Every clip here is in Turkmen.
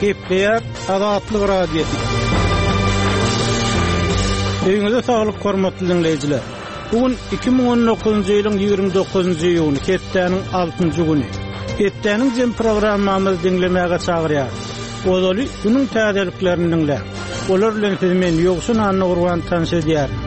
Gepleýär Azatlyk Radiosy. Öýüňize saglyk hormatly diňleýjiler. Bu gün 2019-njy ýylyň 29-njy iýuny, hepdäniň 6-njy güni. Hepdäniň jem programmamyzy diňlemäge çagyrýarys. Ozaly günüň täzeliklerini diňläň. Olar bilen sizi men Ýowşan Annagurban tanyş edýärin.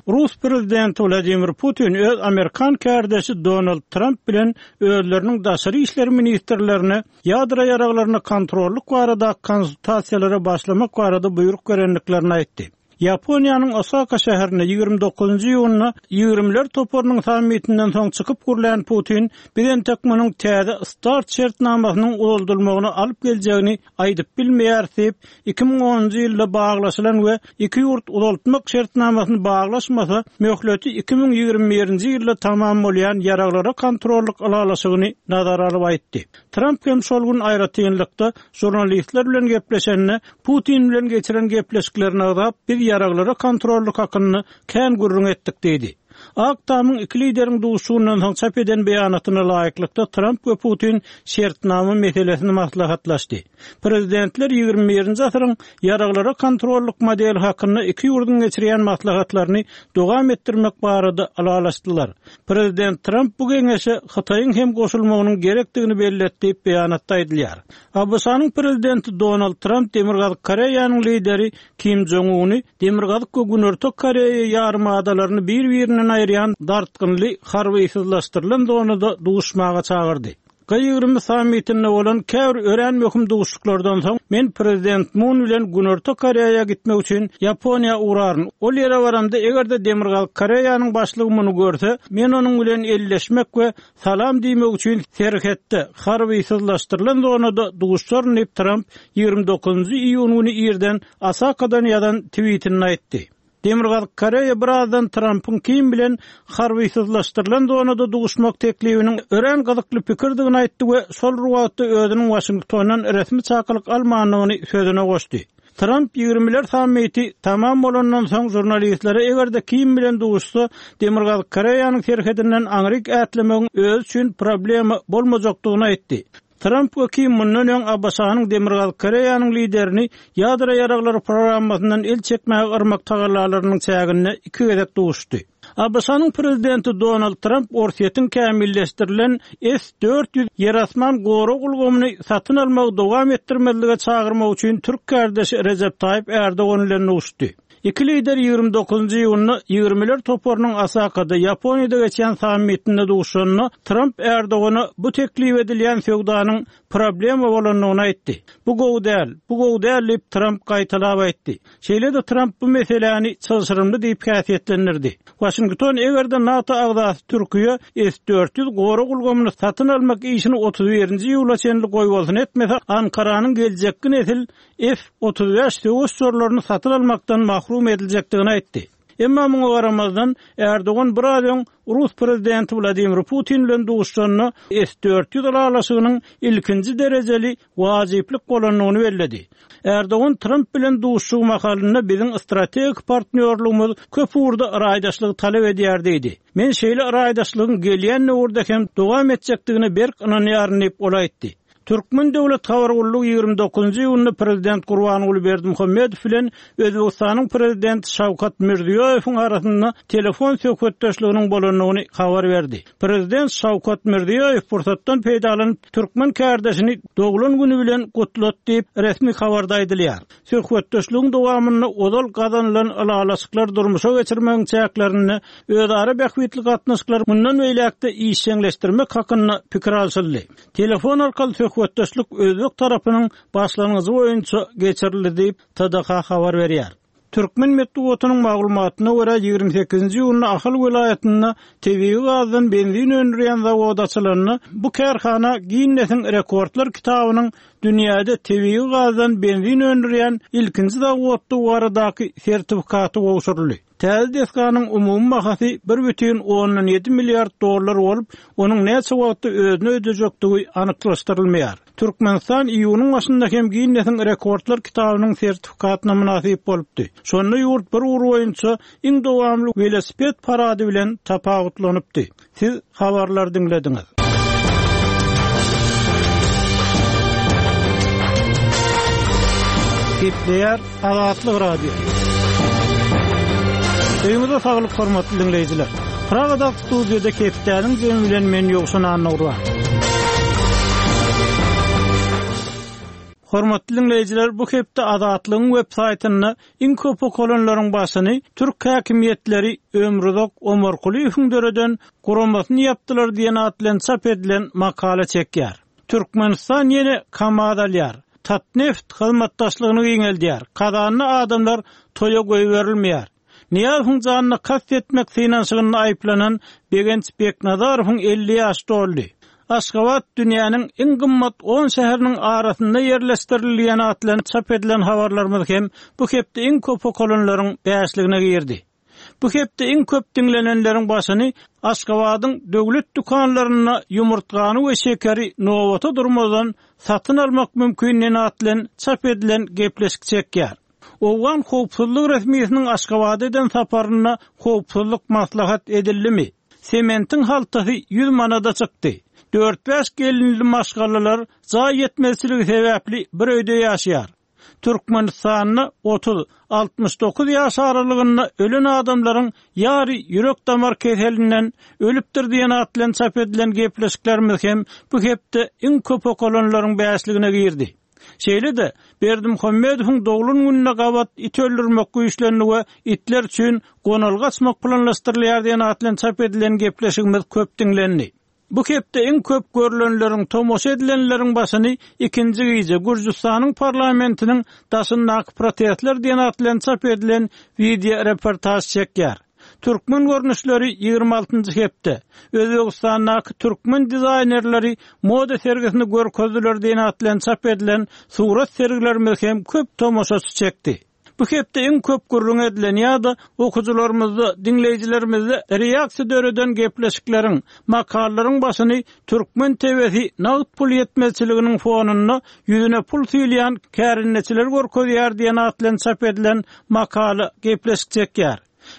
Rus prezidenti Wladimir Putin öz amerikan kärdeşi Donald Tramp bilen özleriniň daşary işler ministrlerine ýadro ýaraglaryna kontrollyk barada konsultasiýalara başlamak barada buýruk berendiklerini aýtdy. Ýaponiýanyň Osaka şäherinde 29-njy iýunda Ýigrimiler toparynyň sammitinden soň çykyp gürlän Putin, Biz entek munuň täze start şertnamasynyň uzaldylmagyna alyp geljegini aýdyp bilmeýäris diýip, 2010-njy ýylda baglaşylan we iki ýurt uzaltmak şertnamasyny baglaşmasa, möhleti 2021-nji ýylda tamam bolýan ýaraglara kontrollyk ylalaşygyny nazara alyp aýtdy. Tramp hem şol gün aýratynlykda žurnalistler bilen gepleşende, Putin bilen geçiren gepleşiklerini agzap, biz ýaraglara kontrollyk hakynda kän gürrüň etdik diýdi. Ak Tamyň iki lideriň duşuşygyndan soň çap eden beýanatyna laýyklykda, Tramp we Putin şertnama meselesini maslahatlaşdy. Prezidentler ýigrimi birinji asyryň ýaraglara kontrollyk modeli hakynda iki ýurduň geçirýän maslahatlaryny dowam etdirmek barada ylalaşdylar. Prezident Tramp bu geňeşe Hytaýyň hem goşulmagynyň gerekdigini belledi diýip, beýanatda aýdylýar. ABŞ-nyň Prezidenti Donald Tramp Demirgazyk Koreýanyň lideri Kim Jong Uny Demirgazyk we Günorta Koreýa ýarymadalaryny bir-birinden aýyrýan dartgynly harbysyzlaşdyrylan zonada duşmaga çagyrdy. G20 sammitinde bolan käbir örän möhüm duşuşyklardan soň, men Prezident Mun bilen Günorta Koreýa gitmek üçin Ýaponiýa ugraryn. Ol ýere baramda, eger-de Demirgazyk Koreýanyň başlygy muny görse, men onuň bilen elleşmek we salam diýmek üçin serhetde, harbysyzlaşdyrylan zonada duşaryn diýip, Tramp 29-njy iýun güni irden Osakadan ýazan twitinde aýtdy. Demirgazyk Koreýa birazdan Trampyň Kim bilen harbysyzlaşdyrylan zonada duşmak teklibiniň örän gyzykly pikirdigini aýtdy we şol bir wagtda özüniň Waşingtondan resmi çakylyk almandygyny sözüne goşdy. Tramp ýigrimiler sammiti tamam bolandan soň žurnalistlere eger-de Kim bilen duşsa, Demirgazyk Koreýanyň serhedinden aňryk ätlemegiň özi üçin problema bolmajakdygyny aýtdy. Tramp we Kim mundan öň ABŞ-nyň Demirgazyk Koreýanyň liderini ýadro ýaraglary programmasyndan el çekmäge yrmak tagallalarynyň çäginde iki gezek duşdy. ABŞ-nyň prezidenti Donald Tramp Orsýetiň kämilleşdirilen S 400 ýer-asman gorag ulgamyny satyn almagy dowam etdirmezlige çagyrmak üçin türk kärdeşi Rejep Taýyp Ärdogan bilen duşdy. Iki lider 29-njy iýunda Ýigrimiler toparynyň Osakada, Ýaponiýada geçýän sammitinde duşanda, Tramp Erdogana bu teklip edilýän söwdanyň problema bolandygyny aýtdy. Bu gowy däl, bu gowy däl diýip, Tramp gaýtalap aýtdy. Şeýle-de Tramp bu meseläni çylşyrymly diýip häsiýetlendirdi. Waşington eger-de NATO agzasy Türkiýe S 400 gorag ulgamyny satyn almak işini 31-nji iýula çenli goýbolsun etmese, Ankaranyň geljekki nesil F 35 söweş uçarlaryny satyn almakdan mahrum ediljekdigini aýtdy. Emma muňa garamazdan, Erdogan biraz öň rus prezidenti Wladimir Putin bilen duşuşanda S 400 ylalaşygynyň ilkinji derejeli wajyplyk bolandygyny belledi. Erdogan Tramp bilen duşuşygy mahalynda biziň strategik partnýorlygymyz köp ugurda raýdaşlygy talap edýär diýdi. Men şeýle raýdaşlygyň gelýän döwürde hem dowam etjekdigine berk ynanýaryn diýip, ol aýtdy. Türkmen döwlet habar gullugy 29-njy iýunda prezident Gurbanguly Berdimuhamedow bilen Özbegistanyň prezidenti Şawkat Mirziýoýewiň arasynda telefon söhbetdeşliginiň bolandygyny habar berdi. Prezident Şawkat Mirziýoýew pursatdan peýdalanyp, türkmen kärdeşini doglan güni bilen gutlady diýip, resmi habarda aýdylýar. Söhbetdeşligiň dowamynda ozal gazanylan ylalaşyklary durmuşa geçirmegiň çäklerinde özara bähbitli gatnaşyklary mundan beýläk-de işjeňleşdirmek hakynda pikir alşyldy. Telefon arkaly söhbetdeşlik özbek tarapynyň başlangyjy boýunça geçirildi diýip, TDH habar berýär. Türkmen metbugatynyň maglumatyna görä, 28-nji iýunda Ahal welaýatynda tebigy gazdan benzin öndürýän zawod açylanda, bu kärhana Ginnesiň rekordlar kitabynyň dünýäde tebigy gazdan benzin öndürýän ilkinji zawoddygy baradaky sertifikaty gowşuryldy. Täze desganyň umumy bahasy 1,7 milliard dollar bolup, onuň näçe wagtda özüni ödejekdigi anyklaşdyrylmaýar. Türkmenistan iýunyň başynda hem Ginnesiň rekordlar kitabynyň sertifikatyna mynasyp bolupdy. Şonda ýurt bir ugur boýunça iň dowamly welosiped parady bilen tapawutlanypdy. Siz habarlary diňlediňiz. Gepleýär Azatlyk Radiosy. Öýüňize saglyk hormatly diňleýjiler. Pragadaky studiýada hepdäniň jemi bilen men Ýowşan Annagurban. Hormatly diňleýjiler, bu hepde Azatlygyň web saýtynda iň köp okalanlaryň başyny türk häkimiýetleri Ömruzak Omarkulyýewiň döreden guramasyny ýapdylar diýen at bilen çap edilen makala çekýär. Türkmenistan ýene KAMAZ alýar. Tatneft hyzmatdaşlygyny giňeldýär. Kazanda adamlar toýa goýberilmeýär. Nyýazowyň janyna kast etmek synanyşygynda aýyplanan Begenç Beknazarowyň 50 ýaşy doldy. Aşgabat dünýäniň iň gymmat on şäheriniň arasynda ýerleşdirildi diýen at bilen çap edilen habarlarymyz hem bu hepde iň köp okalanlaryň bäşligine girdi. Bu hepde iň köp diňlenenleriň başyny Aşgabadyň döwlet dükanlarynda ýumurtgany we şekeri nobata durmazdan satyn almak mümkin diýen at bilen çap edilen gepleşik çekýär. Owgan howpsuzlyk resmisiniň Aşgabada eden saparynda howpsuzlyk maslahat edildimi? Sementiň haltasy 100 manada çykdy. Dört-bäş gelinli maşgalalar jaý ýetmezçiligi sebäpli bir öýde ýaşaýar. Türkmenistanda 30, 69 ýaş aralygynda ölen adamlaryň ýary ýürek-damar keselinden ölüpdir diýen at bilen çap edilen gepleşiklerimiz hem bu hepde iň köp okalanlaryň bäşligine girdi. Şeýle-de, Berdimuhamedowyň doglan gününe gabat it öldürmek güýçlendi we itler üçin gonalga açmak planlaşdyrylýar diýen at bilen çap edilen gepleşigimiz köp diňlendi. Bu hepde iň köp görlenleriň, tomaşa edilenleriň başyny ikinji gije Gürjüstanyň parlamentiniň daşyndaky protestler diýen at bilen çap edilen wideoreportaž çekýär. Türkmen görnüşleri 26-njy hepde, Özbegistandaky türkmen dizaýnerleri moda sergisini görkezdiler diýen at bilen çap edilen surat sergilerimiz hem köp tomaşaçy çekdi. Bu hepde iň köp gürrüň edilen ýa-da okyjylarymyzda, diňleýjilerimizde reaksiýa döreden gepleşikleriň, makalalaryň başyny türkmen TW-si nagt pul ýetmezçiliginiň fonunda ýüzüne pul süýlýän kärendeçileri görkezýär diýen at bilen çap edilen makala, gepleşik çekýär.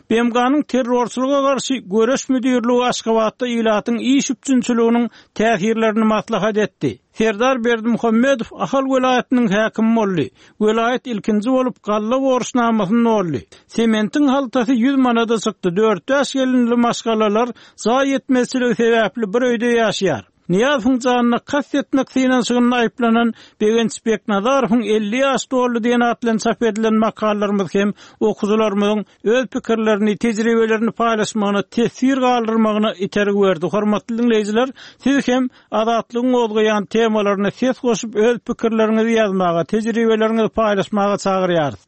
BMG-niň Terrorçylyga garşy göreş müdirligi Aşgabatda ilatyň iş üpjünçiliginiň täsirlerini maslahat etdi. Serdar Berdimuhamedow Ahal welaýatynyň häkimi boldy. Welaýat ilkinji bolup galla borçnamasyny doldy. Sementiň haltasy 100 manada çykdy. Dört-bäş gelinli maşgalalar jaý ýetmezçiligi sebäpli bir öýde ýaşaýar. Nyýazowyň janyna kast etmek synanyşygynda aýyplanan Begenç Beknazarowyň 50 ýaş doldy diýen at bilen çap edilen makalalarymyz hem okyjylarymyzyň öz pikirlerini, tejribelerini paýlaşmagyna, teswir galdyrmagyna itergi berdi. Hormatly diňleýjiler, siz hem Azatlygyň gozgaýan temalaryna ses goşup öz pikirleriňizi ýazmaga, tejribeleriňizi paýlaşmaga çagyrýarys.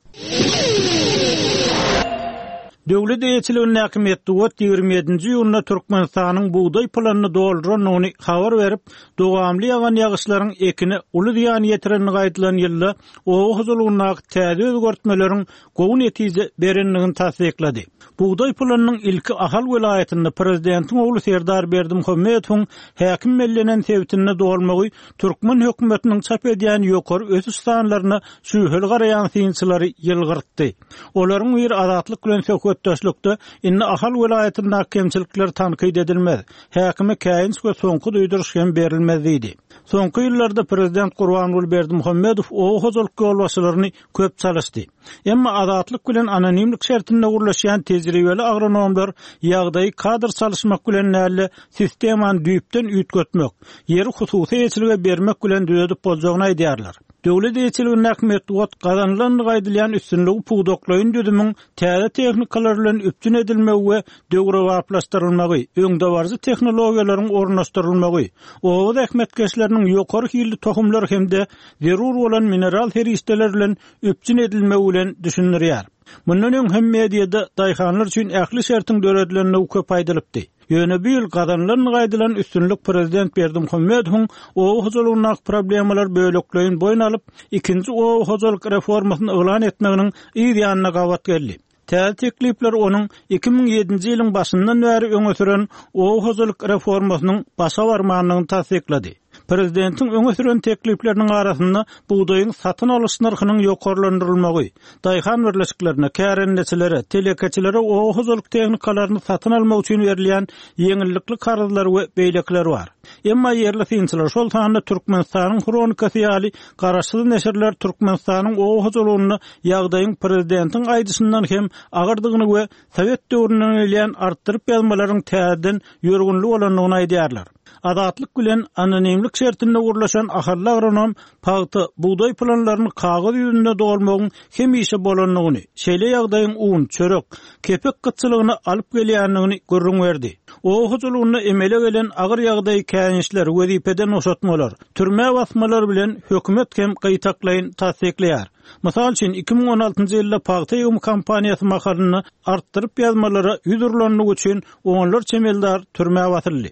Döwlet eýeçiligindäki metbugat 27-nji iýunda Türkmenistanyň bugdaý planyny doldurandygyny habar berip, dowamly ýagan ýagyşlaryň ekine uly zyýan ýetirendigi aýdylan ýylda oba hojalygyndaky täze özgertmeleriň gowy netije berendigini tassyklady. Bugdaý planynyň ilki Ahal welaýatynda prezidentiň ogly Serdar Berdimuhamedowyň häkim bellenen sebitinde dolmagy türkmen hökümetiniň çap edýän ýokary ösüş sanlaryna şübheli garaýan synçylary ýylgyrtdy. Olaryň biri Azatlyk bilen söhbetdeşlikde indi Ahal welaýatyndaky kemçilikler tankyt edilmez, häkime käýinç we soňky duýduryş hem berilmez diýdi. Soňky ýyllarda prezident Gurbanguly Berdimuhamedow oba hojalyk ýolbaşçylaryny köp çalyşdy. Emma Azatlyk bilen anonimlik şertinde gürleşýän tejribeli agronomlar ýagdaýy kadr çalyşmak bilen däl-de, sistemany düýpden üýtgetmek, ýeri hususy eýeçilige bermek bilen düzedip boljagyny aýdýarlar. Döwlet eýeçiligindäki metbugat gazanylandygy aýdylýan üstünligi pudaklaýyn düzümiň täze tehnikalar bilen üpjün edilmegi we döwrebaplaşdyrylmagy, öňdebaryjy tehnologiýalaryň ornaşdyrylmagy, oba zähmetkeşleriniň ýokary hilli tohumlar hem-de zerur bolan mineral serişdeler bilen üpjün edilmegi bilen düşündirýär. Mundan öň hem mediada daýhanlar üçin ähli şertiň döredilendigi köp aýdylypdy. Ýöne bu ýyl gazanylandygy aýdylan üstünlik prezident Berdimuhamedowyň oba hojalygyndaky problemalary bölekleýin boýun alyp, ikinji oba hojalyk reformasyny yglan etmeginiň yz ýanyna gabat geldi. Täze teklipler onuň 2007-nji ýylyň başyndan bäri öňe süren oba hojalyk reformasynyň başa barmandygyny tassyklady. Prezidentiň öňe süren teklipleriniň arasynda bugdaýyň satyn alyş nyrhynyň ýokarlandyrylmagy, daýhan birleşiklerine, kärendeçilere, telekeçilere oba hojalyk tehnikalaryny satyn almak üçin berilýän ýeňillikli karzlar we beýlekiler bar. Emma ýerli synçylar, şol sanda Türkmenistanyň Hronikasy ýaly garaşsyz neşirler Türkmenistanyň oba hojalygynda ýagdaýyň prezidentiň aýdyşyndan hem agyrdygyny we sowet döwründen gelýän artdyryp ýazmalaryň täzeden ýörgünli bolandygyny aýdýarlar. Azatlyk bilen anonimlik şertinde gürleşen ahally agronom pagta, bugdaý planlaryny kagyz ýüzünde dolmagyň hemişe bolandygyny, şeýle ýagdaýyň un, çörek, kepek gytçylygyna alyp gelýändigini gürrüň berdi. Oba hojalygynda emele gelen agyr ýagdaýy käýinçler, wezipeden boşatmalar, türmä basmalar bilen hökümet hem gytaklaýyn tassyklaýar. Mysal üçin, 2016-njy ýylda pagta ýygymy kampaniýasy mahalynda artdyryp ýazmalara ýüz urlandygy üçin onlarça emeldar türmä basyldy.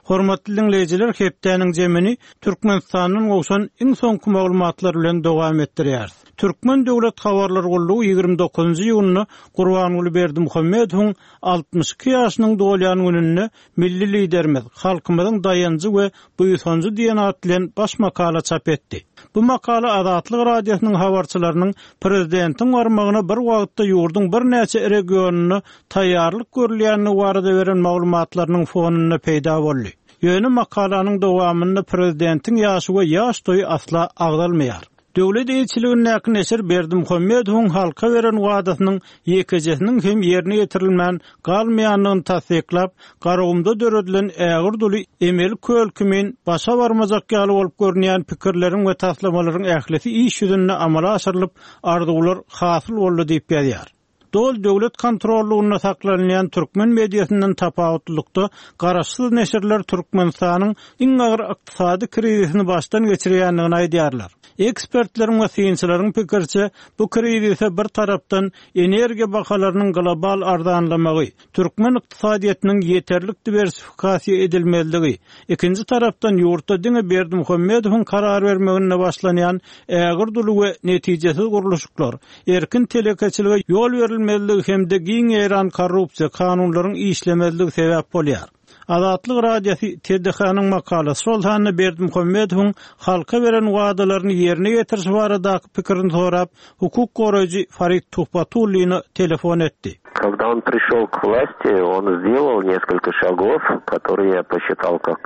Hormatly diňleýjiler, hepdäniň jemini Türkmenistandan gowşan iň soňky maglumatlar bilen dowam etdirýäris. Türkmen döwlet habarlar gullugy 29-njy iýunda Gurbanguly Berdimuhamedowyň 62 ýaşynyň dolýan gününde Milli Liderimiz, halkymyzyň daýanjy we buýsanjy diýen at bilen baş makala çap etdi. Bu makala Azatlyk Radiosynyň habarçylarynyň prezidentiň barmagyna bir wagtda ýurduň birnäçe regionynda taýýarlyk görülýändigi barada beren maglumatlarynyň fonunda peýda boldy. Ýöne makalanyň dowamynda prezidentiň ýaşy we ýaş toýy asla agzalmaýar. Döwlet eýeçiligindäki neşir Berdimuhamedowyň halka beren wadasynyň ýekejesiniň hem ýerine ýetirilmän galmaýandygyny tassyklap, Garagumda döredilen ägirt uly emeli köl kimin başa barmajak ýaly bolup görünýän pikirleriň we taslamalaryň ählisi iş ýüzünde amala aşyrylyp, arzuwlar hasyl boldy diýip ýazýar. Doly döwlet kontrollygynda saklanylýan türkmen mediasyndan tapawutlylykda, garaşsyz neşirler Türkmenistanyň iň agyr ykdysady krizisini başdan geçirýändigini aýdýarlar. Ekspertleriň we synçylaryň pikiriçe, bu krizise bir tarapdan energiýa bahalarynyň global arzanlamagy, türkmen ykdysadyýetiniň ýeterlik diwersifikasiýa edilmezligi, ikinji tarapdan ýurtda diňe Berdimuhamedowyň karar bermeginde başlanýan ägirt uly we netijesiz gurluşyklar, erkin telekeçilige ýol berilmezligi hem-de giň ýaýran korrupsiýa, kanunlaryň işlemezligi sebäp bolýar. Azatlyk Radiosy TDH-nyň makalasy, şol sanda Berdimuhamedowyň halka beren wadalaryny ýerine ýetirişi baradaky pikirini sorap, hukuk goraýjy Farid Tuhbatullina telefon etdi. Когда он пришел к власти, он сделал несколько шагов, которые я посчитал как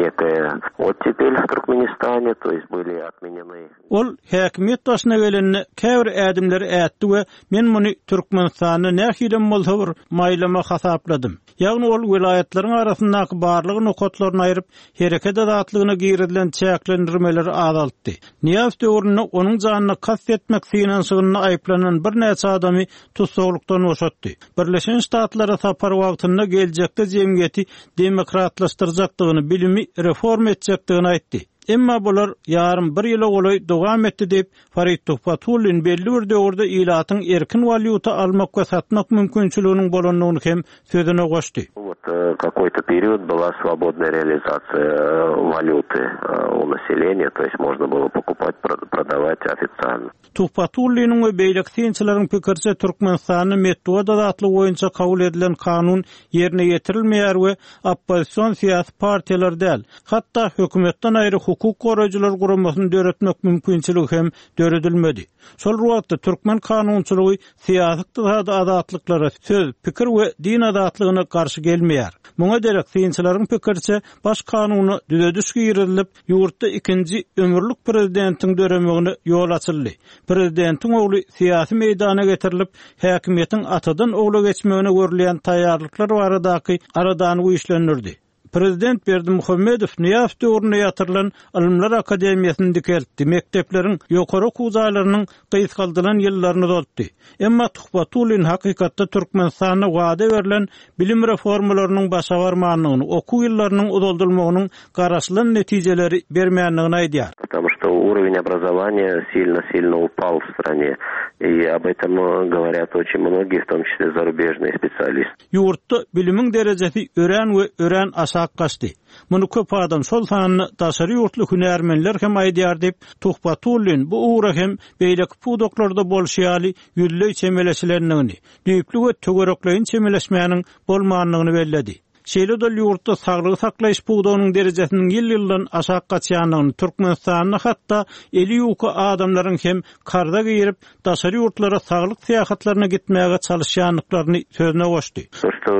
некая оттепель в Туркменистане, то есть были отменены. Ol häkimiýet başyna gelende käbir ädimleri ätdi we men muny Türkmenistanda nähilem bolsa bir maýlama hasapladym. Ýagny ol welaýatlaryň arasyndaky barlag nokatlaryny aýryp, hereket azatlygyna girizilen çäklendirmeleri azaltdy. Nyýazow döwründe onuň janyna kast etmek synanyşygynda aýyplanan birnäçe adamy tussaglykdan boşatdy. Birleşen Ştatlara sapary wagtynda geljekde jemgyýeti demokratlaşdyrjakdygyny, bilimi reforma etjekdigini aýtdy. Emma bular ýarym bir ýyla golaý dowam etdi diýip, Farid Tuhbatullin belli bir döwürde ilatyň erkin walýuta almak we satmak mümkinçiliginiň bolandygyny hem sözüne goşdy. Wot kakoý-to period byla swobodnaýa realizasiýa walýuty u naseleniýa, to ýest można bylo pokupat, prodawat ofitsialno. Tuhbatulliniň we beýleki synçylaryň pikiriçe, Türkmenistanda metbugat azatlygy boýunça kabul edilen kanun ýerine ýetirilmeýär we oppozision syýasy partiýalar däl, hatda hökümetden aýry hukuk goraýjylar guramasyny döretmek mümkinçiligi hem döredilmedi. Şol bir wagtda, türkmen kanunçylygy syýasy-ykdysady azatlyklara, söz, pikir we din azatlygyna garşy gelmeýär. Muňa derek, synçylaryň pikiriçe, Baş kanuna düzediş girizilip, Ýurtda ikinji ömürlik prezidentiň döremegine ýol açyldy. Prezidentiň ogly syýasy meýdana getirilip, häkimiýetiň atadan ogla geçmegine görülýän taýýarlyklar baradaky aladany güýçlendirdi. Prezident Berdimuhamedow Nyýazow döwründe ýatyrylan Ylymlar akademiýasyny dikeltdi, mekdepleriň, ýokary okuw jaýlarynyň gysgaldylan ýyllaryny uzaltdy. Emma Tuhbatullin hakykatda Türkmenistanda wada berlen bilim reformalarynyň başa barmandygyny, okuw ýyllarynyň uzaldylmagynyň garaşylan netijeleri bermändigini aýdýar. Потому что уровень образования сильно-сильно упал в стране. И об этом говорят очень многие, в том числе зарубежные специалисты. Ýurtda bilimiň derejesi örän we örän aşak gaçdy. Muny köp adam, şol sanda daşary ýurtly hünärmenler hem aýdýar diýip, Tuhbatullin bu ugra hem beýleki pudaklarda bolşy ýaly ýüzleý çemeleşilendigini, düýpli we töwerekleýin çemeleşmäniň bolmandygyny belledi. Şeýle-de ol ýurtda saglygy saklaýyş pudagynyň derejesiniň ýyl-ýyldan aşak gaçýandygyny, Türkmenistanda hatda eli ýuka adamlaryň hem karza girip, daşary ýurtlara saglyk syýahatlaryna gitmäge çalyşýandyklaryny sözüne goşdy. То, что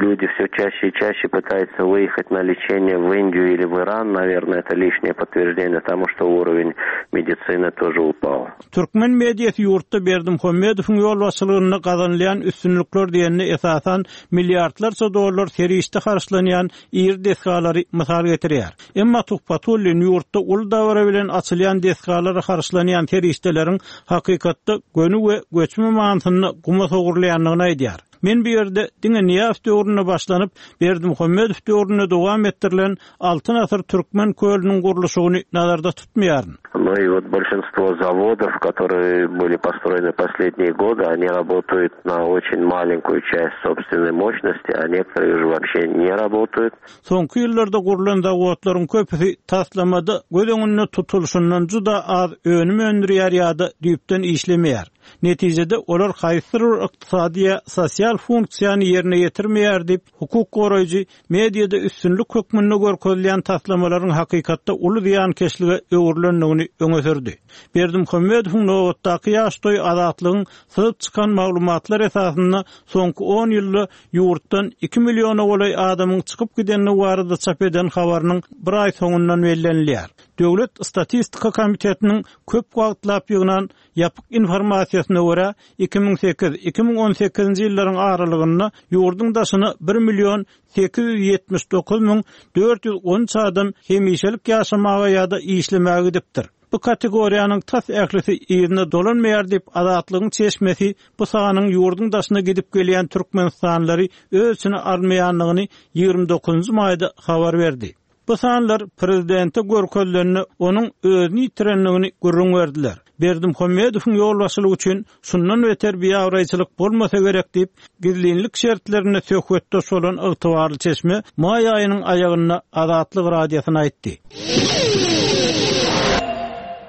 люди все чаще и чаще пытаются выехать на лечение в Индию или в Иран, наверное, это лишнее подтверждение тому, что уровень медицины тоже упал. Türkmen mediasy ýurtda Berdimuhamedowyň ýolbaşçylygynda gazanylýan üstünlikler diýende esasan milliardlarça dollar serişde harçlanýan iri desgalary mysal getirýär. Emma Tuhbatullin ýurtda uly dabara bilen açylýan desgalara harçlanýan serişdeleriň hakykatda göni we göçme manysynda guma sogrulýandygyny aýdýar. Men bu ýerde diňe Nyýazow döwründe başlanyp, Berdimuhamedow döwründe dowam etdirilen Altyn asyr türkmen kölüniň gurluşygyny nazarda tutmaýaryn. Ну и вот большинство заводов, которые были построены последние годы, они работают на очень маленькую часть собственной мощности, а некоторые уже вообще не работают. Soňky ýyllarda gurlan zawodlaryň köpüsi taslamada göz öňünde tutulyşyndan juda az önüm öndürýär ýa-da düýpden işlemeýär. Netijede, olar haýsydyr bir ykdysady ýa sosial funksiýany ýerine ýetirmeýär diýip, hukuk goraýjy mediada üstünlik hökmünde görkezilýän taslamalaryň hakykatda uly zyýankeşlige öwrülendigini öňe sürdi. Berdimuhamedowyň nobatdaky ýaş toýy Azatlygyň syzyp çykan maglumatlar esasynda soňky on ýylda ýurtdan iki milliona golaý adamyň çykyp gidendigi barada çap eden habarynyň bir aý soňundan bellenilýär. Döwlet statistika komitetiniň köp wagtlap ýygnan Ýapyk informasiýasyna görä, 2008, 2018-nji ýyllaryň aralygynda ýurduň daşyna bir million 879 müň 413 adam hemişelik ýaşamaga ýa-da işlemäge gidipdir. Bu kategoriýanyň tas ählisi yzyna dolanmaýar diýip, Azatlygyň çeşmesi bu sanyň ýurduň daşyna gidip gelýän türkmenistanlylary öz içine almaýandygyny 29-njy maýda habar berdi. Bu sanlar prezidente görkezilende, onuň özüni ýitirendigini gürrüň berdiler. Berdimuhamedowyň ýolbaşçylygy üçin şundan beter biabraýçylyk bolmasa gerek diýip, gizlinlik şertlerinde söhbetdeş bolan ygtybarly çeşme maý aýynyň aýagynda Azatlyk Radiosyna aýtdy.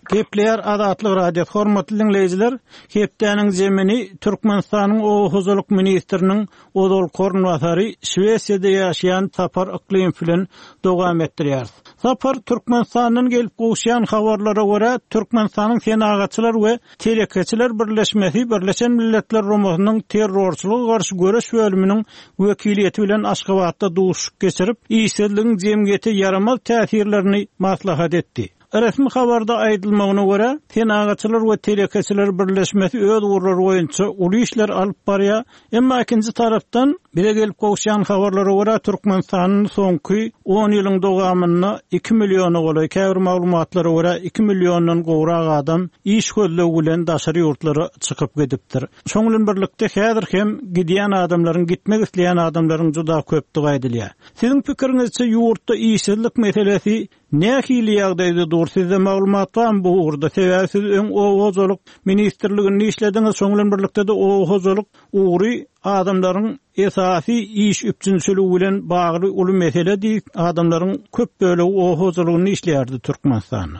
Gepleýär Azatlyk Radiosy Hormatly diňleýjiler, hepdäniň zemini Türkmenistanyň Oba hojalyk ministriniň ozalky orunbasary, Şwesiýada ýaşaýan Sapar Yklymow bilen dowam etdirýäris. Sapar, Türkmenistandan gelip gowuşýan habarlara görä, Türkmenistanyň Senagatçylar we telekeçiler birleşmesi Birleşen Milletler Guramasynyň Terrorçylyga garşy göreş bölüminiň wekiliýeti bilen Aşgabatda duşuşyk geçirip, işsizligiň jemgyýete ýaramaz täsirlerini maslahat etdi. Resmi habarda aýdylmagyna görä, Senagatçylar we telekeçiler birleşmesi öz ugurlary boýunça uly işler alyp barýar. Emma ikinji tarapdan, bize gelip gowuşýan habarlara görä, Türkmenistanda soňky on ýylyň dowamynda iki milliona golaý, käbir maglumatlara görä, iki milliondan gowrak adam iş gözlegi bilen daşary ýurtlara çykyp gidipdir. Şonuň bilen birlikde, häzir hem gidýän adamlaryň, gitmek isleýän adamlaryň juda köpdügi aýdylýar. Siziň pikiriňizçe, ýurtda işsizlik meselesi Nähili ýagdaýda dur sizde maglumat barmy bu ugurda sebäbi siz öň oba hojalyk ministrliginde işlediňiz şoň bilen birlikdede oba hojalyk ugry adamlaryň esasy iş üpjünçiligi bilen bagly uly meseledi adamlaryň köp bölegi oba hojalygynda işleýärdi Türkmenistanda.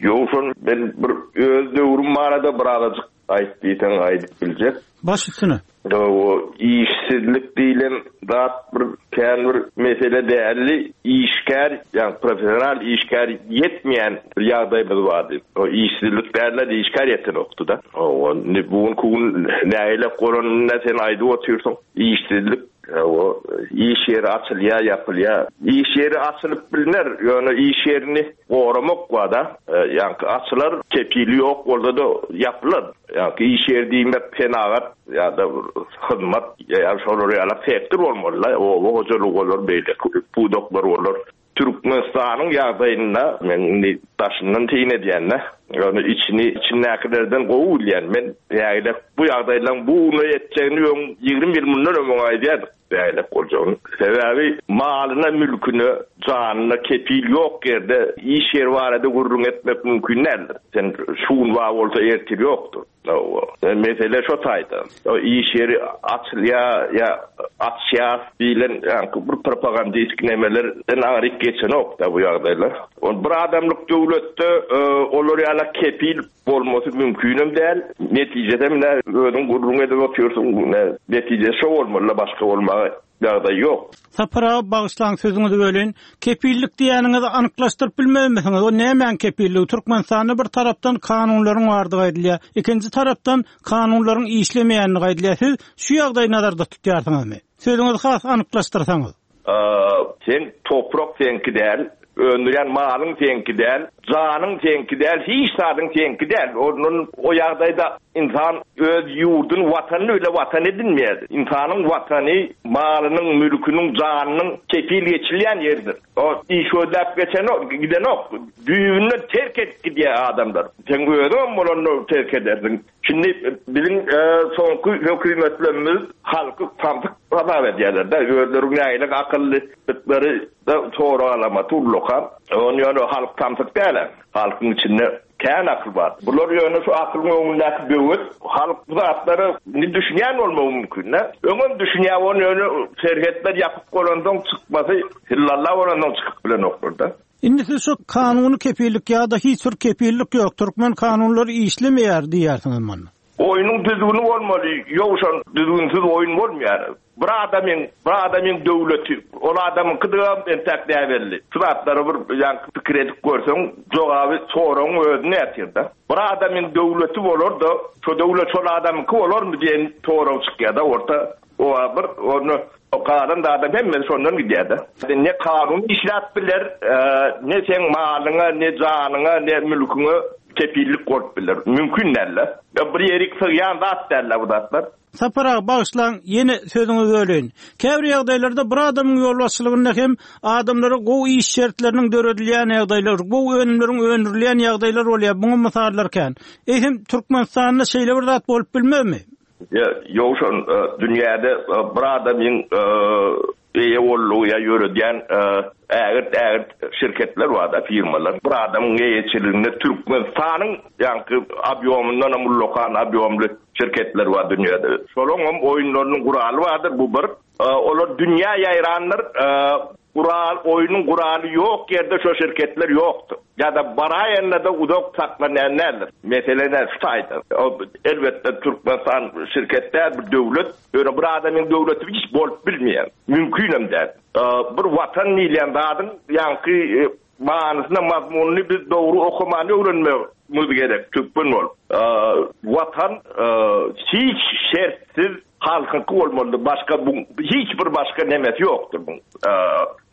Ýowşan men bir öz döwrüm barada birazajyk Aýt diýseň aýdyp biljek. Baş üstüne. O işsizlik diýlen zat bir kän bir mesele däldi. Işgär, ýagny professional işgär ýetmeýän bir ýagdaýymyz bardy. O işsizlik däldi, işgär ýetenokdy-da. Hawa, indi bu günki gün nägile bolanyny sen aýdyp otyrsyň. Işsizlik, hawa, iş ýeri açylýar, ýapylýar. Iş ýeri açylyp bilner, ýöne iş ýerini goramak bar-da. Ýaňky açylar, kepili ýok bolsa-da ýapylar. Ýaňky iş ýeri diýmek senagat ýa-da hyzmat ýa şolar ýaly sektor bolmaly-da, oba hojalygy bolar, beýleki pudaklar bolar. Türkmenistanyň ýagdaýynda men indi daşyndan syn edýän-de, ýöne içini içindäkilerden gowy bilýän. Men nägile bu ýagdaýlaryň bu ugruna ýetjegini öň 20 ýyl mundan öň aýdýardyk nägile boljagyny. Sebäbi malyna, mülküne, janyna kepil ýok ýerde iş ýeri barada gürrüň etmek mümkin däldir. Sen şu gün bar bolsa ertir ýokdur. Mesele şo taýda. Iş ýeri açylýar ýa açýas diýlen ýaňky bir propagandistik nemelerden aňryk geçenok-da bu ýagdaýlar. Ol bir adamlyk döwletde olar ýala kepil bolmasy mümkinem däl. Netijesem ine özüň gürrüň edip otyrsyň. Netijesi şo bolmaly-da başga bolmaga. ýagdaý ýok. Sapar aga bagyşlaň sözüňizi böleýin. Kepillik diýýäniňizi anyklaşdyryp bilmezmisiňiz? O nämäň kepilligi? Türkmenistanda bir tarapdan kanunlaryň bardygy aýdylýar. Ikinji tarapdan kanunlaryň işlemeýändigi aýdylýar. Siz şu ýagdaýy nazarda tutýarsyňyzmy? Sözüňizi has anyklaşdyrsaňyz. Seň toprak seňki däl, öndürýän malyň seňki däl, janyň seňki däl, hiç zadyň seňki däl. Ondan o ýagdaýda ynsan öz ýurduny, watanyny bile watan edinmeýär. Ynsanyň watany malynyň, mülküniň, janynyň kepil geçilýän ýeridir. O iş gözläp geçenok, gidenok. Düýbünden terk edip gidýär adamlar. Seň özüňem bolanda terk edersiň. Şindi biziň soňky hökümetlerimiz halky samsyk hasap edýärler-de, özleri nähili akyllydyklary-da sorag alamaty ullakan. Ony ýöne halk samsyk däl-ä, halkyň içinde kän akyl bar. Bular ýöne şu akylyň öňündäki böwet, halk bu zatlara indi düşünýän bolmagy mümkin-dä. Öňem düşünýär, ony ýöne serhetler ýapyk bolansoň çykmasy hillalla bolansoň çykyp bilenoklar-da. Indi siz şu kanuny kepillik ýa-da hiç bir kepillik ýok, türkmen kanunlary işlemeýär diýýärsiňiz munda. Oýnuň düzgüni bolmaly, ýowşan düzgünsiz oýun bolmaýar. Bir adamyň, bir adamyň döwleti, ol adamyňkydygam entäk näbelli. Şu zatlary bir ýaňky pikir edip görseň, jogaby soragyň özünde ýatyr-da. Bir adamyň döwleti bolar-da, şo döwlet şol adamyňky bolarmy diýen sorag çykýar-da orta. Oba bir ony galan zadam hemmesi şondan gidýär-de. Ne kanun işläp biler, ne seň malyňa, ne janyňa, ne mülküňe kepillik bolup biler. Mümkin däl-de. Bir ýerik sygýan zat däl-de bu zatlar. Sapar aga, bagyşlaň, ýene sözüňizi böleýin. Käbir ýagdaýlarda bir adamyň ýolbaşçylygynda hem adamlara gowy iş şertleriniň döredilýän ýagdaýlar, gowy önümleriň öndürilýän ýagdaýlar bolýar. Muňa mysallar kän. Eýsem, Türkmenistanda şeýle bir zat bolup bilmezmi? Ýowşan, dünýäde bir adamyň eýe boldugy ýa ýöredýän ägirt-ägirt şirketler bar-da, firmalar. Bir adamyň eýeçiliginde Türkmenistanyň ýaňky obýomyndanam ullakan obýomly şirketler bar dünýäde. Şolaňam oýunlarynyň guraly bardyr, bu bir. Olar dünýä ýaýrandyr. Gural, oýnuň guraly ýok ýerde şo şirketler ýokdur. Ýa-da baraýanda-da uzak saklanýan däldir. Mesele ine şu taýda. Elbetde Türkmenistan şirket däl, bir döwlet. Ýöne bir adamyň döwleti hiç bolup bilmeýär. Mümkinem däl. Bir watan diýilýän zadyň ýaňky manysyna, mazmunyny biz dogry okamany öwrenmegimiz gerek türkmen bolup. Watan hiç şertsiz Halkyňky bolmalydyr başga buň hiç bir başga nemesi ýokdur buň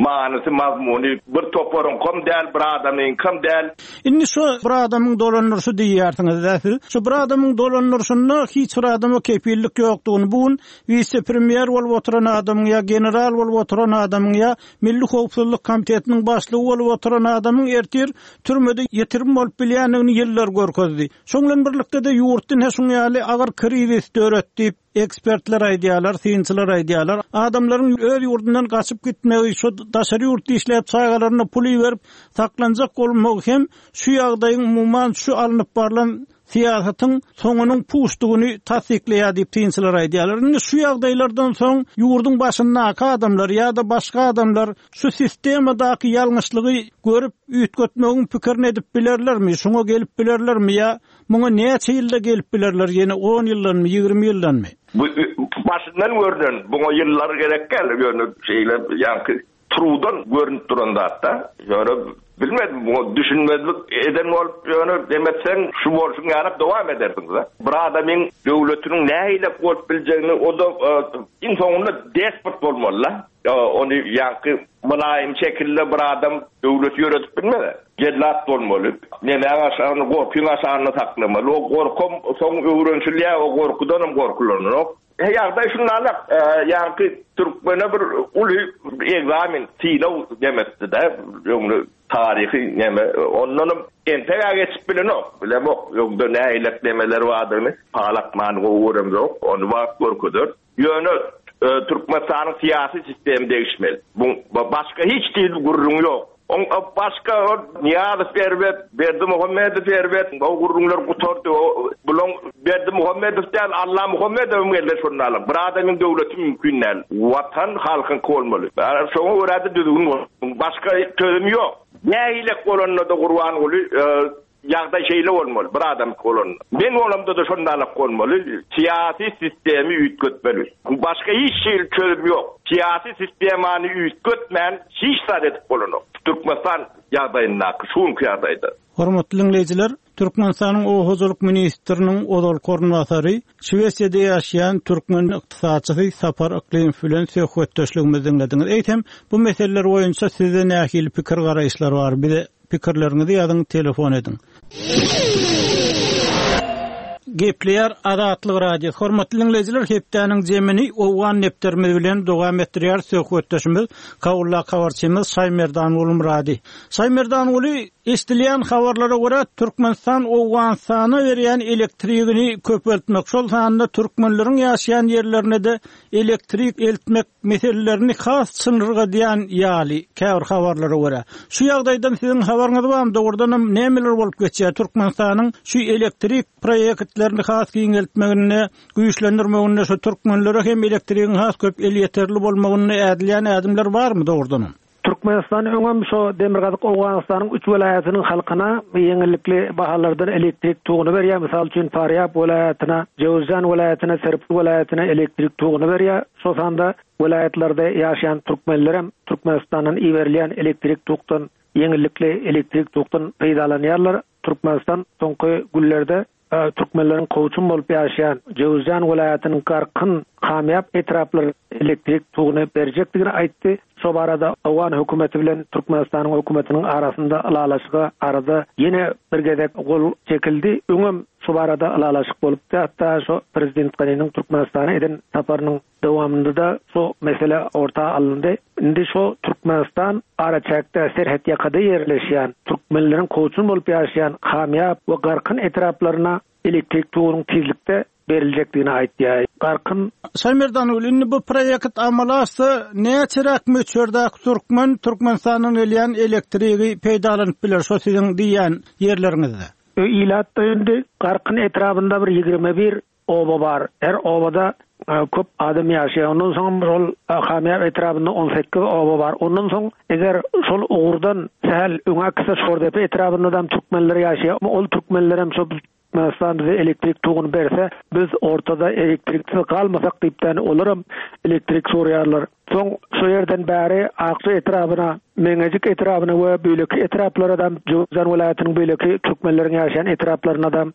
manysy mazmuny bir toparyňkam däl bir adamyňkam däl. Indi şu bir adamyň dolandyryşy diýýärsiňiz-dä siz. Şu bir adamyň dolandyryşynda hiç bir adama kepillik ýokdugyny bu gün wise-premýer bolup oturan adamyň ýa general bolup oturan adamyň ýa Milli howpsuzlyk komitetiniň başlygy bolup oturan adamyň ertir türmede ýitirim bolup bilýändigini ýyllar görkezdi. Şoň bilen birlikde-de ýurtda ine şuň ýaly agyr krizis döret diýip, ekspertler aýdýarlar, synçylar aýdýarlar. Adamlaryň öz ýurdundan gaçyp gitmegi, şu daşary ýurtda işläp çagalaryna pul iberip saklanjak bolmagy hem şu ýagdaýyň umuman şu alnyp barlan syýasatyň soňunyň puçdugyny tassyklaýar diýip synçylar aýdýarlar. Indi şu ýagdaýlardan soň ýurduň başyndaky adamlar ýa-da başga adamlar şu sistemadaky ýalňyşlygy görüp üýtgetmegiň pikirini edip bilerlermi, şuňa gelip bilerlermi ýa muňa näçe ýylda gelip bilerler, ýene on ýyldanmy, 20 ýyldanmy? Bu başyndan görnen, buňa ýyllar gerek däl, ýöne şeýle ýaňky Trudan görnüp duran zatda. Ýöne bilmedim, muňa düşünmezlik eden bolup ýöne dem etseň şu bolşuň ýaly dowam edersiň-de. Bir adamyň döwletiniň nähili bolup biljegini o-da iň soňunda despot bolmaly-da. Ony ýaňky mylaýym şekilde bir adam döwleti ýöredip bilmez. Jellat bolmaly. Nemäň aşagynda, gorkyň aşagynda saklamaly. O gorkam soň öwrenişilýär, o gorkudanam gorkulanok. Ýagdaý şundanrak, ýaňky türkmene bir uly ekzamen, synag demekdi-de, öňde taryhy neme, ondanam entek-ä geçip bilenok, bilemok, öňde nähilek nemeler bardygyny, pal atmany gowy göremzok, ony wagt görkezer. Ýöne Türkmenistanyň syýasy sistemi degişmeli. Bu başga hiç hili gürrüň ýok. Oň başga ol Nyýazow erbet, Berdimuhamedow erbet, o gürrüňler gutardy. O bulaň Berdimuhamedow däl, Allamuhamedowam geldi şonda alyp. Bir adamyň döwleti mümkin däl. Watan halkyňky bolmaly. Şoňa görä-de düzgün bolmaly. Başga çözüm ýok. Nähilek bolanda-da Gurbanguly. Ýagdaý şeýle bolmaly, bir adamky bolanda. Men bolamda-da şondalak bolmaly. Syýasy sistemi üýtgetmeli. Başga hiç hili çözüm ýok. Syýasy sistemany üýtgetmän hiç zat edip bolanok. Türkmenistan ýagdaýyndaky, şu günki ýagdaýda. Hormatly diňleýjiler, Türkmenistanyň Oba hojalyk ministriniň ozalky orunbasary, Şwesiýada ýaşaýan türkmen ykdysatçysy Sapar Yklymow bilen söhbetdeşligimizi diňlediňiz. Eýsem, bu meseleler boýunça sizde nähili pikir-garaýyşlar bar? Bize pikirleriňizi ýazyň, telefon ediň. Gepleýär Azatlyk Radiosy. Hormatly diňleýjiler, hepdäniň jemini Owgan depderimiz bilen dowam etdirýär söhbetdeşimiz, Kabuldaky habarçymyz Şaýmerdan Gulmyrady. Şaýmerdanguly, eşidilýän habarlara görä, Türkmenistan Owganystana berýän elektrigini köpeltmek, şol sanda türkmenleriň ýaşaýan ýerlerine-de elektrik eltmek meselelerini has çynlyrgadýan ýaly, käbir habarlara görä. Şu ýagdaýdan siziň habaryňyz barmy, dogrudanam nämeler bolup geçýär Türkmenistanyň şu elektrik proýektlerini has giňeltmeginde, güýçlendirmeginde, şu türkmenlere hem elektrigiň has köp elýeterli bolmagynda ädilýän ädimler barmy dogrudanam? Türkmenistan öňem şo Demirgazyk Owganystanyň üç welaýatynyň halkyna ýeňillikli bahalardan elektrik toguny berýär. Mysal üçin, Farýab welaýatyna, Jöwüzjan welaýatyna, Serpil welaýatyna elektrik toguny berýär. Şo sanda welaýatlarda ýaşaýan türkmenlerem Türkmenistandan iberilýän elektrik tokdan ýeňillikli elektrik tokdan peýdalanýarlar. Türkmenistan soňky günlerde Türkmenleriň kowçum bolup ýaşaýan Jöwüzjan welaýatynyň Garkyn, Kamýap etraplaryna elektrik toguny berjekdigini aýtdy. Şo barada owgan hökümeti bilen Türkmenistanyň hökümetiniň arasynda ylalaşyga arada ýene bir gezek gol çekildi. Öňem şu barada ylalaşyk bolupdy. Hatda şo prezident Ganiniň Türkmenistana eden saparynyň Dowamynda-da şu mesele orta alyndy. Indi şu Türkmenistan araçäkde, serhetýakada ýerleşýän, türkmenleriň kowçum bolup ýaşaýan Kamýap we Garkyn etraplaryna elektrik togunyň tizlikde beriljekdigini aýtýar. Garkyn. Şaýmerdan ogly, indi bu proýekt amala aşsa, näçeräk möçberdäki türkmen Türkmenistandan gelýän elektrigi peýdalanyp biler şo siziň diýýän ýerleriňizde? Ilat indi Garkyn etrabynda bir 21 Oba bar. Her obada köp adam ýaşaýar. Ondan soňam şol Hamýap etrabynda 18 oba bar. Ondan soň eger şol ugurdan sähel öňe gitse Şordepe etrabynda-da türkmenler ýaşaýar. Ol türkmenlerem şo Türkmenistan bize elektrik toguny berse, biz ortada elektriksiz galmasak diýipdäni olaram elektrik soraýarlar. Soň şo ýerden bäri Akja etrabyna, Meňejik etrabyna we beýleki etraplara-da, Jöwüzjan welaýatynyň beýleki türkmenleriň ýaşaýan etraplaryna-da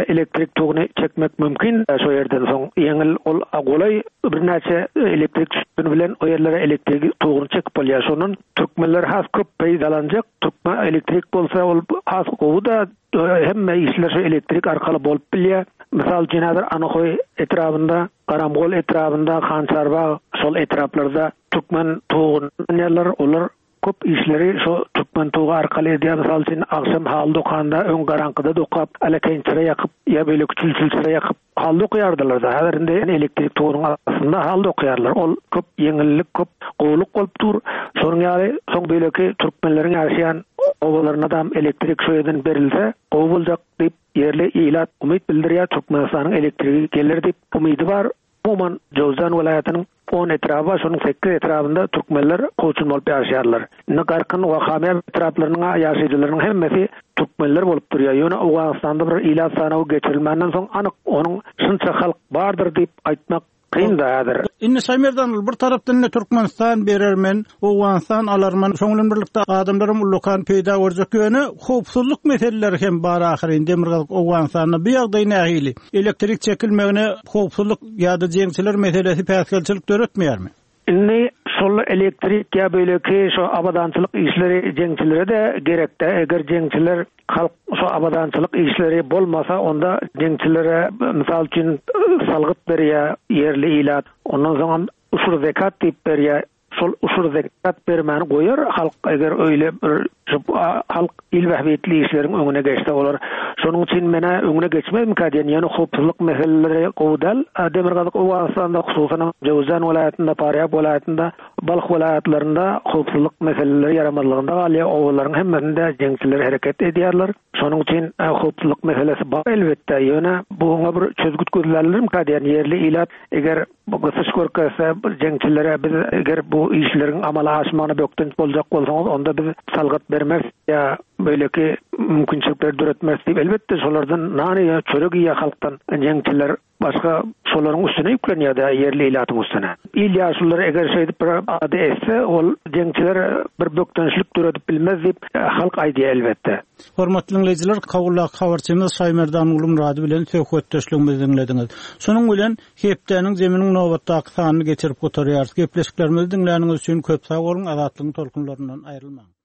elektrik toguny çekmek mümkin. Şo ýerden soň ýeňil ol golaý birnäçe elektrik sütüni bilen o ýerlere elektrik toguny çekip bolýar. Şondan türkmenler has köp peýdalanjak. Türkmen elektrik bolsa ol has gowy-da, hemme işler şo elektrik arkaly bolup bilýär. Mysal üçin häzir Anahoý etrabynda Garamgol etrabynda Hançarbag şol etraplarda türkmen toguny alýarlar. Olar köp işleri şo türkmen togy arkaly edýär. Mysal üçin, agşam haly dokanda öň garaňkyda dokap, alekeýin çyra ýakyp ýa beýleki çül-çül çyra ýakyp haly dokaýardylar-da. Häzir indi elektrik togunyň astynda haly dokaýarlar. Ol köp ýeňillik, köp gowulyk bolup dur. Şonuň ýaly soň beýleki türkmenleriň ýaşaýan obalarynadam elektrik şo ýerden berilse gowy boljak diýip Ýerli ilat umyt bildirýär, Türkmenistanyň elektrigi geler diýip umydy bar. Umuman, Jöwzjan welaýatynyň on etraby bar, şonuň sekiz etrabynda türkmenler kowçum bolup ýaşaýarlar. Indi Garkyn we Hamýap etraplarynyň ýaşaýjylarynyň hemmesi türkmenler bolup durýar. Ýöne Owganystanda bir ilat sanawy geçirilmänden soň anyk onuň şunça halk bardyr diýip aýtmak Kyn-da häzir. Indi Şaýmerdan ol bir tarapdan indi Türkmenistan berermen, Owganystan alarman, şoň bilen birlikde adamlaram ullakan peýda görjek. Ýöne howpsuzlyk meseleleri hem bar ahyryn Demirgazyk Owganystanda. Bu ýagdaý nähili? Elektrik çekilmegine howpsuzlyk ýa-da jeňçiler meselesi päsgelçilik döretmeýärmi? Indi şol elektrik ýa beýleki şo abadançylyk işleri jeňçilere-de gerek-dä. Eger jeňçiler Halk şu abadançylyk işleri bolmasa onda jeňçilere mysal üçin salgyt berýär ýerli ilat. Ondan soňam uşur zekat diýip berýär. Şol uşur zekat bermäni goýar halk eger öýle bir şu halk il bähbitli işleriň öňüne geçse olar. Şonuň üçin menä öňüne geçmezmikä diýen ýöne howpsuzlyk meseleleri gowy däl. Demirgazyk Owganystanda hususanam Jöwüzjan welaýatynda Farýab welaýatynda Balh welaýatlarynda howpsuzlyk meseleleri ýaramazlygynda galýar, obalaryň hemmesinde jeňçiler hereket edýärler. Şonuň üçin howpsuzlyk meselesi bar elbetde, ýöne buňa bir çözgüt gözlärlermikä diýen ýerli ilat eger gysyş görkezse jeňçilere biz eger bu işleriň amala aşmagyna bökdenç boljak bolsaňyz onda biz salgyt bermeris ýa. beýleki mümkinçilikleri döretmeris diýip, elbetde, şolardan nan iýýär, çörek iýýär halkdan jeňçiler. Başga şolaryň üstüne ýüklenýär-dä, ýerli ilatyň üstüne. Il ýaşululary eger şeýdip bir alada etse, ol jeňçiler bir bökdençlik döredip bilmez diýip, halk aýdýar, elbetde. Hormatly diňleýjiler, Kabuldaky habarçymyz Şaýmerdan Gulmyrady bilen söhbetdeşligimizi diňlediňiz. Şunuň bilen, hepdäniň Zeminiň nobatdaky sanyny geçirip gutarýarys. Gepleşiklerimizi diňläniňiz üçin köp sag boluň, Azatlygyň tolkunlaryndan aýrylmaň!